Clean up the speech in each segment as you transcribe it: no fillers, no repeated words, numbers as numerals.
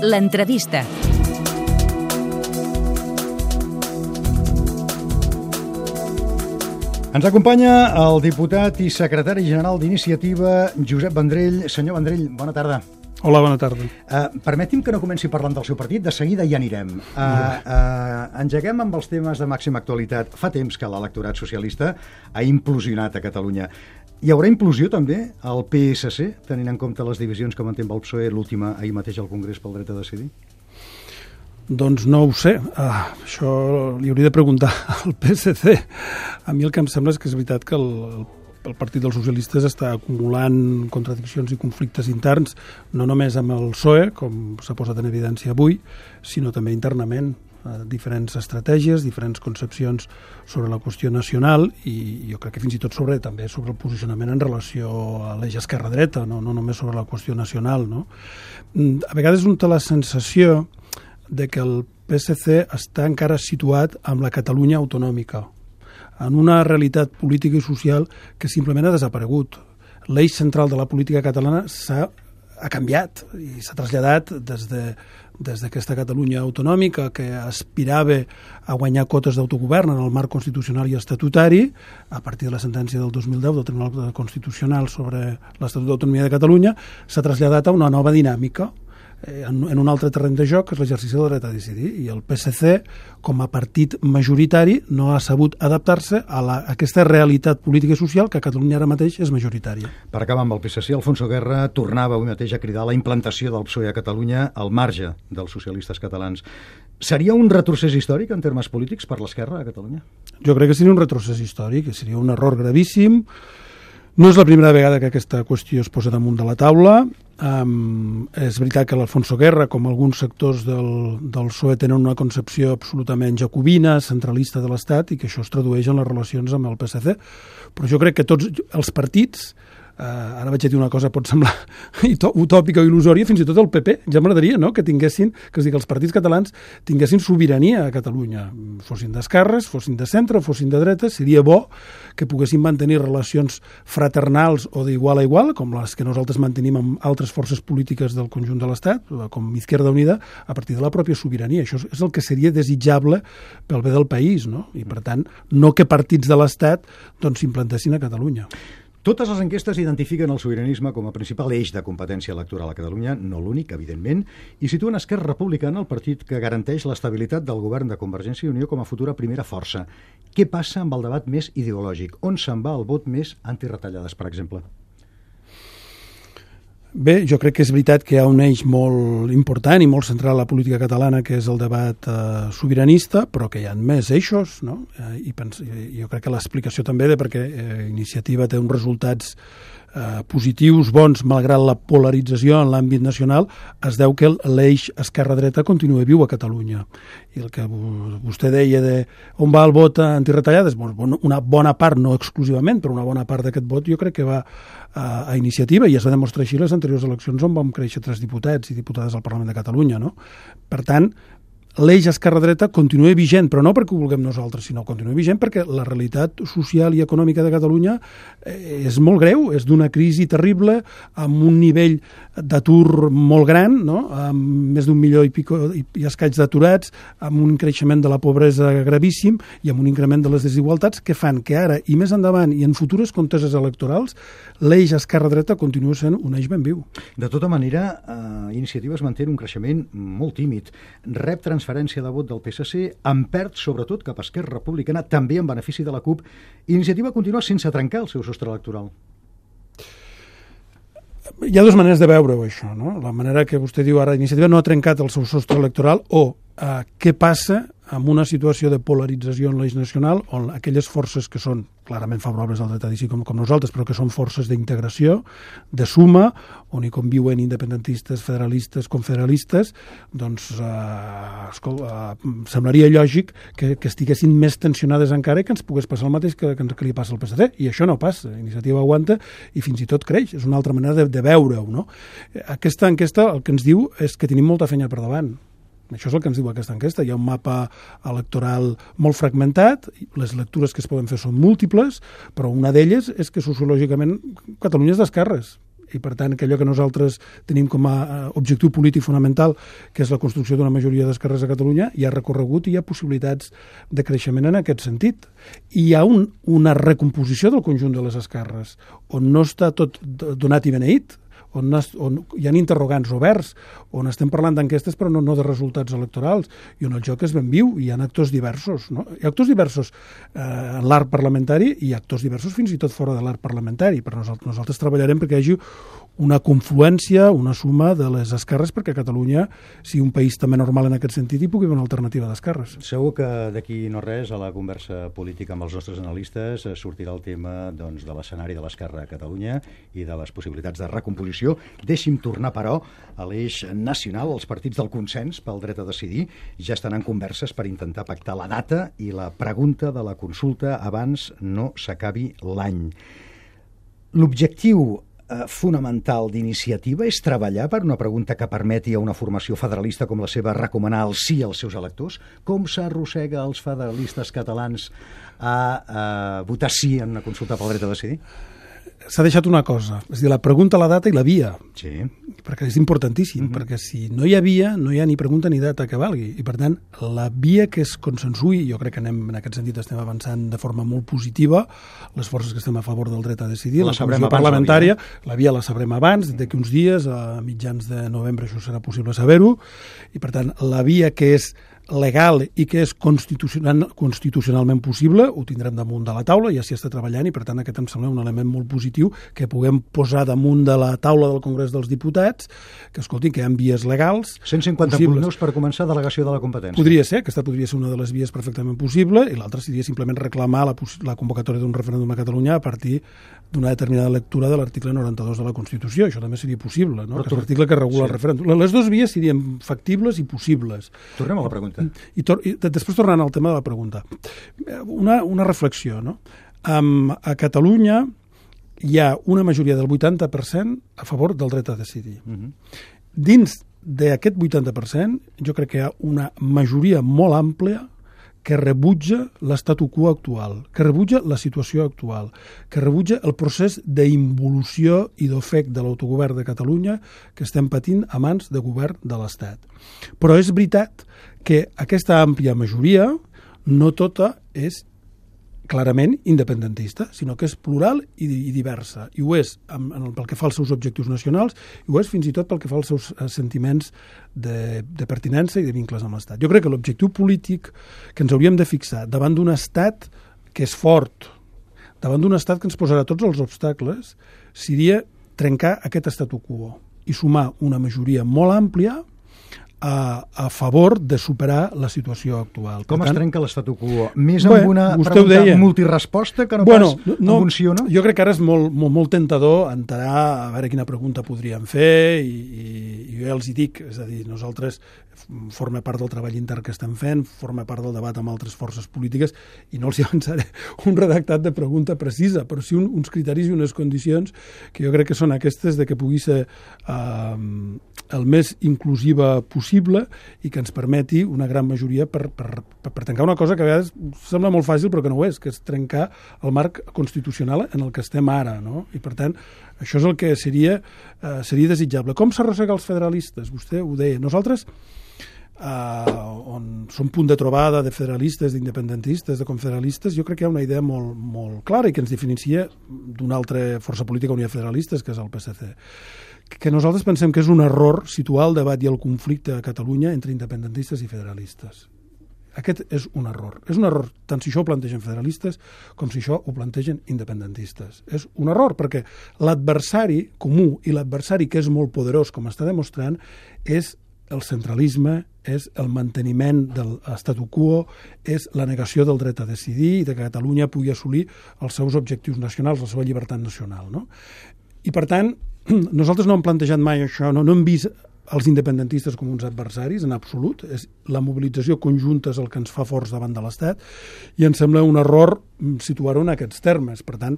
L'entrevista. Ens acompanya el diputat i secretari general d'Iniciativa, Josep Vendrell. Senyor Vendrell, bona tarda. Hola, bona tarda. Permeti'm que no comenci parlant del seu partit, de seguida hi anirem. Engeguem amb els temes de màxima actualitat. Fa temps que l'electorat socialista ha implosionat a Catalunya. Hi haurà implosió també al PSC, tenint en compte les divisions que manté amb el PSOE, l'última ahir mateix al Congrés pel dret a decidir? Doncs no ho sé. Això li hauria de preguntar al PSC. A mi el que em sembla és que és veritat que el Partit dels Socialistes està acumulant contradiccions i conflictes interns, no només amb el PSOE, com s'ha posat en evidència avui, sinó també internament. Diferents estratègies, diferents concepcions sobre la qüestió nacional i jo crec que fins i tot també sobre el posicionament en relació a l'eix esquerra-dreta, no només sobre la qüestió nacional. No? A vegades un té la sensació de que el PSC està encara situat amb la Catalunya autonòmica, en una realitat política i social que simplement ha desaparegut. L'eix central de la política catalana ha canviat i s'ha traslladat des d'aquesta Catalunya autonòmica que aspirava a guanyar cotes d'autogovern en el marc constitucional i estatutari a partir de la sentència del 2010 del Tribunal Constitucional sobre l'Estatut d'Autonomia de Catalunya, s'ha traslladat a una nova dinàmica en un altre terreny de joc, que és l'exercici del dret a decidir, i el PSC, com a partit majoritari, no ha sabut adaptar-se a aquesta realitat política i social que a Catalunya ara mateix és majoritària. Per acabar amb el PSC, Alfonso Guerra tornava avui mateix a cridar la implantació del PSOE a Catalunya al marge dels socialistes catalans. Seria un retrocés històric en termes polítics per l'esquerra a Catalunya? Jo crec que seria un retrocés històric, que seria un error gravíssim. No és la primera vegada que aquesta qüestió es posa damunt de la taula. És veritat que l'Alfonso Guerra, com alguns sectors del PSOE, tenen una concepció absolutament jacobina, centralista de l'Estat, i que això es tradueix en les relacions amb el PSC. Però jo crec que tots els partits, ara vaig a dir una cosa pot semblar utòpica o il·lusòria, fins i tot el PP, ja m'agradaria, no?, que els partits catalans tinguessin sobirania a Catalunya, fossin d'esquerres, fossin de centre, fossin de dreta. Seria bo que poguessin mantenir relacions fraternals o d'igual a igual, com les que nosaltres mantenim amb altres forces polítiques del conjunt de l'Estat, com Izquierda Unida, a partir de la pròpia sobirania. Això és el que seria desitjable pel bé del país, no? I, per tant, no que partits de l'Estat s'implantassin a Catalunya. Totes les enquestes identifiquen el sobiranisme com a principal eix de competència electoral a Catalunya, no l'únic, evidentment, i situen Esquerra Republicana, el partit que garanteix l'estabilitat del govern de Convergència i Unió, com a futura primera força. Què passa amb el debat més ideològic? On se'n va el vot més antiretallades, per exemple? Bé, jo crec que és veritat que hi ha un eix molt important i molt central a la política catalana, que és el debat sobiranista, però que hi ha més eixos, no? Jo crec que l'explicació també de perquè Iniciativa té uns resultats positius, bons, malgrat la polarització en l'àmbit nacional, es deu que l'eix esquerra-dreta continua viu a Catalunya. I el que vostè deia de on va el vot antiretallades, una bona part, no exclusivament, però una bona part d'aquest vot jo crec que va a Iniciativa, i es va demostrar així les anteriors eleccions on vam créixer 3 diputats i diputades al Parlament de Catalunya, no? Per tant, l'eix esquerra-dreta continua vigent, però no perquè ho vulguem nosaltres, sinó continua vigent perquè la realitat social i econòmica de Catalunya és molt greu, és d'una crisi terrible, amb un nivell d'atur molt gran, no? Amb més d'1 milió i escaig d'aturats, amb un creixement de la pobresa gravíssim i amb un increment de les desigualtats que fan que ara i més endavant i en futures conteses electorals l'eix esquerra-dreta continua sent un eix ben viu. De tota manera, Iniciativa es manté un creixement molt tímid. Rep transferència de vot del PSC, en perd sobretot cap a Esquerra Republicana, també en benefici de la CUP. Iniciativa continua sense trencar el seu sostre electoral. Hi ha dues maneres de veure-ho, això, no? La manera que vostè diu ara, Iniciativa no ha trencat el seu sostre electoral, o què passa amb una situació de polarització en l'eix nacional on aquelles forces que són clarament favorables al dret a decidir com nosaltres, però que són forces d'integració, de suma, on hi conviuen independentistes, federalistes, confederalistes, doncs semblaria lògic que estiguessin més tensionades encara i que ens pogués passar el mateix que li passa al PSC. I això no passa. Iniciativa aguanta i fins i tot creix. És una altra manera de veure-ho, no? Aquesta enquesta el que ens diu és que tenim molta feina per davant. Això és el que ens diu aquesta enquesta. Hi ha un mapa electoral molt fragmentat, les lectures que es poden fer són múltiples, però una d'elles és que sociològicament Catalunya és d'esquerres. i per tant que allò que nosaltres tenim com a objectiu polític fonamental, que és la construcció d'una majoria d'esquerres a Catalunya, hi ha recorregut i hi ha possibilitats de creixement en aquest sentit. I hi ha una recomposició del conjunt de les esquerres, on no està tot donat i beneït, on hi ha interrogants oberts, on estem parlant d'enquestes però no de resultats electorals, i on el joc és ben viu, i hi ha actors diversos. No? Hi ha actors diversos en l'arc parlamentari i actors diversos fins i tot fora de l'arc parlamentari. Per nosaltres treballarem perquè hi hagi una confluència, una suma de les esquerres perquè Catalunya sigui un país també normal en aquest sentit i pugui haver una alternativa d'esquerres. Segur que d'aquí no res, a la conversa política amb els nostres analistes, sortirà el tema de l'escenari de l'esquerra a Catalunya i de les possibilitats de recomposició. Deixi'm tornar, però, a l'eix nacional. Els partits del consens pel dret a decidir ja estan en converses per intentar pactar la data i la pregunta de la consulta abans no s'acabi l'any. L'objectiu fonamental d'iniciativa és treballar per una pregunta que permeti a una formació federalista com la seva recomanar el sí als seus electors? Com s'arrossega els federalistes catalans a votar sí en una consulta pel dret a decidir? S'ha deixat una cosa, és a dir, la pregunta, la data i la via, sí, perquè és importantíssim, perquè si no hi ha via, no hi ha ni pregunta ni data que valgui, i per tant, la via que es consensui, jo crec que en aquest sentit estem avançant de forma molt positiva, les forces que estem a favor del dret a decidir, la comissió parlamentària, la via la sabrem abans, d'aquí uns dies, a mitjans de novembre això serà possible saber-ho, i per tant, la via que és legal i que és constitucionalment possible, ho tindrem damunt de la taula, ja s'hi està treballant i per tant aquest em sembla un element molt positiu que puguem posar damunt de la taula del Congrés dels Diputats, que escoltin, que hi ha vies legals 150 punts per començar delegació de la competència. Podria ser, aquesta podria ser una de les vies perfectament possible i l'altra seria simplement reclamar la convocatòria d'un referèndum a Catalunya a partir d'una determinada lectura de l'article 92 de la Constitució. Això també seria possible, no? Que és l'article que regula el referèndum. Les dues vies serien factibles i possibles. Tornem a la pregunta. I després tornant al tema de la pregunta. Una reflexió, no? A Catalunya hi ha una majoria del 80% a favor del dret a decidir. Dins d'aquest 80%, jo crec que hi ha una majoria molt àmplia que rebutja l'estatu quo actual, que rebutja la situació actual, que rebutja el procés d'involució i d'ofec de l'autogovern de Catalunya que estem patint a mans de govern de l'Estat. Però és veritat que aquesta àmplia majoria no tota és clarament independentista, sinó que és plural i diversa. I ho és pel que fa als seus objectius nacionals i ho és fins i tot pel que fa als seus sentiments de pertinença i de vincles amb l'Estat. Jo crec que l'objectiu polític que ens hauríem de fixar davant d'un Estat que és fort, davant d'un Estat que ens posarà tots els obstacles, seria trencar aquest statu quo i sumar una majoria molt àmplia a favor de superar la situació actual. Com es trenca l'estatu quo? Més amb una pregunta multiresposta que no pas amb un sí o no? Jo crec que ara és molt tentador entrar a veure quina pregunta podríem fer i jo ja els hi dic, és a dir, nosaltres forma part del treball intern que estem fent, forma part del debat amb altres forces polítiques i no els hi avançaré un redactat de pregunta precisa, però sí uns criteris i unes condicions que jo crec que són aquestes de que pugui ser el més inclusiva possible i que ens permeti una gran majoria per trencar una cosa que a vegades sembla molt fàcil però que no ho és, que és trencar el marc constitucional en el que estem ara, no? I per tant, això és el que seria desitjable. Com s'arrossega els federalistes? Vostè ho deia. Nosaltres, on som punt de trobada de federalistes, d'independentistes, de confederalistes, jo crec que hi ha una idea molt, molt clara i que ens diferencia d'una altra força política on hi ha federalistes, que és el PSC. Que nosaltres pensem que és un error situar el debat i el conflicte a Catalunya entre independentistes i federalistes. Aquest és un error. És un error tant si això ho plantegen federalistes com si això ho plantegen independentistes. És un error perquè l'adversari comú i l'adversari que és molt poderós, com està demostrant, és el centralisme, és el manteniment de l'statu quo, és la negació del dret a decidir i de que Catalunya pugui assolir els seus objectius nacionals, la seva llibertat nacional, no? I per tant, nosaltres no hem plantejat mai això, no hem vist els independentistes com uns adversaris, en absolut. És la mobilització conjunta és el que ens fa forts davant de l'Estat i em sembla un error situar-ho en aquests termes. Per tant,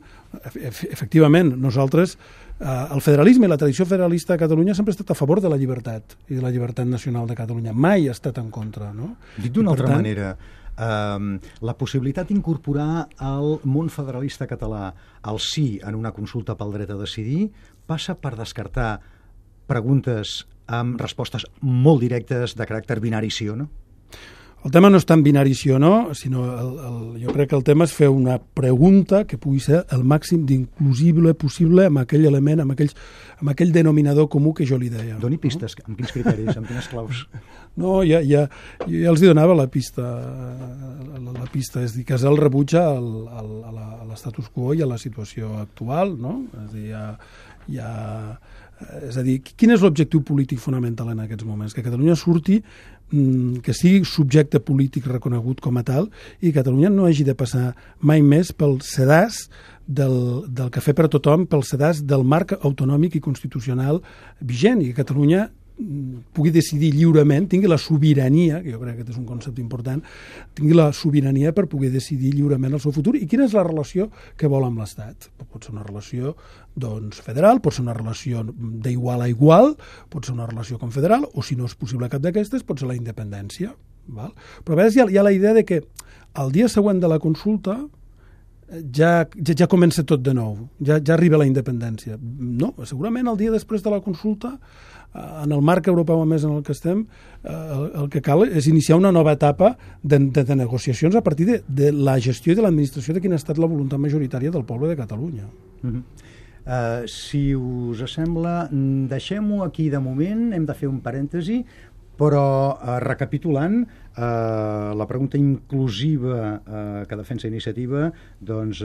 efectivament, nosaltres, el federalisme i la tradició federalista a Catalunya sempre ha estat a favor de la llibertat i de la llibertat nacional de Catalunya. Mai ha estat en contra, no? Dit d'una altra manera, la possibilitat d'incorporar el món federalista català al sí en una consulta pel dret a decidir passa per descartar preguntes amb respostes molt directes de caràcter binari sí o no? El tema no és tan binari sí o no, sinó jo crec que el tema és fer una pregunta que pugui ser el màxim d'inclusible possible amb aquell element, amb aquell denominador comú que jo li deia. Doni pistes, amb quins criteris, amb quines claus? No, jo els hi donava la pista, és a dir, que és el rebuig a l'estatus quo i a la situació actual, no? És a dir, quin és l'objectiu polític fonamental en aquests moments? Que Catalunya surti, que sigui subjecte polític reconegut com a tal i Catalunya no hagi de passar mai més pel sedàs del cafè per a tothom, pel sedàs del marc autonòmic i constitucional vigent, i que Catalunya pugui decidir lliurement, tingui la sobirania, que jo crec que aquest és un concepte important, tingui la sobirania per poder decidir lliurement el seu futur i quina és la relació que vol amb l'Estat. Pot ser una relació federal, pot ser una relació d'igual a igual, pot ser una relació confederal, o si no és possible cap d'aquestes, pot ser la independència. Val? Però a vegades hi ha la idea de que el dia següent de la consulta ja comença tot de nou, ja arriba la independència. No, segurament el dia després de la consulta, en el marc europeu a més en el que estem, el que cal és iniciar una nova etapa de negociacions a partir de la gestió i de l'administració de quina ha estat la voluntat majoritària del poble de Catalunya. Si us sembla, deixem-ho aquí de moment, hem de fer un parèntesi, però recapitulant, la pregunta inclusiva que defensa Iniciativa, doncs,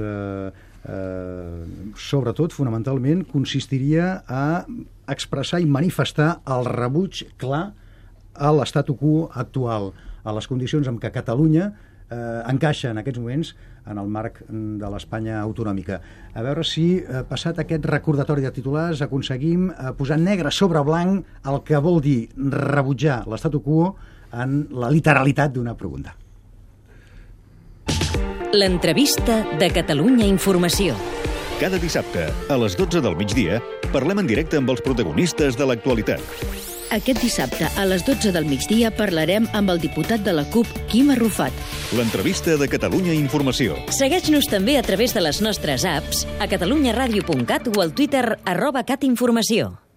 sobretot, fonamentalment, consistiria a expressar i manifestar el rebuig clar a l'estatu quo actual, a les condicions en què Catalunya encaixa en aquests moments en el marc de l'Espanya autonòmica. A veure si, passat aquest recordatori de titulars, aconseguim posar negre sobre blanc el que vol dir rebutjar l'estatu quo en la literalitat d'una pregunta. L'entrevista de Catalunya Informació. Cada dissabte, a les 12 del migdia, parlem en directe amb els protagonistes de l'actualitat. Aquest dissabte, a les 12 del migdia, parlarem amb el diputat de la CUP, Quim Arrufat. L'entrevista de Catalunya Informació. Segueix-nos també a través de les nostres apps, a catalunyaradio.cat o al Twitter @catinformació.